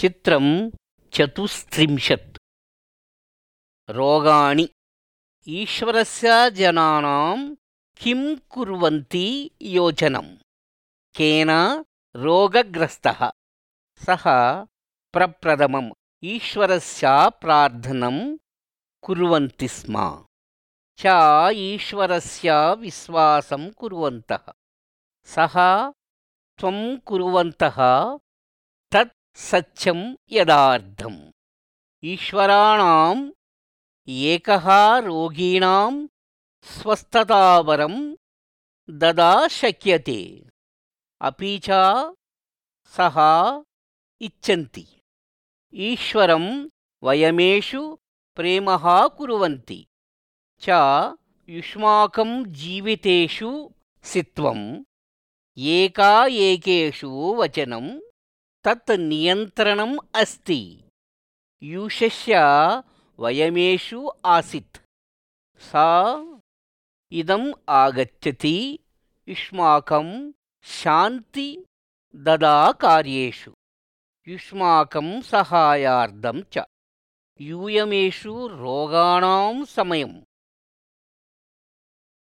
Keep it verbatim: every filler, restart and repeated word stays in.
चित्रं चतुस्त्रिंशत्। रोगाणि। ईश्वरस्य जनानां किं कुर्वन्ति योचनं। केन रोगग्रस्तः सः प्रप्रथमम् ईश्वरस्य प्रार्थनं कुर्वन्ति स्म च ईश्वरस्य विश्वासं कुर्वन्तः सः त्वं कुर्वन्तः तत् सत्यं यदार्थम्। ईश्वराणाम् एकः रोगिणां स्वस्थतावरं ददा शक्यते अपि च सः इच्छन्ति। ईश्वरं वयमेषु प्रेमः कुर्वन्ति च युष्माकं जीवितेषु सित्वं एका एकेषु वचनं तत् नियन्त्रणम् अस्ति। युषस्य वयमेषु आसीत् सा इदम् आगच्छति युष्माकं शान्ति ददा कार्येषु युष्माकं सहायार्थं च यूयमेषु रोगाणां समयम्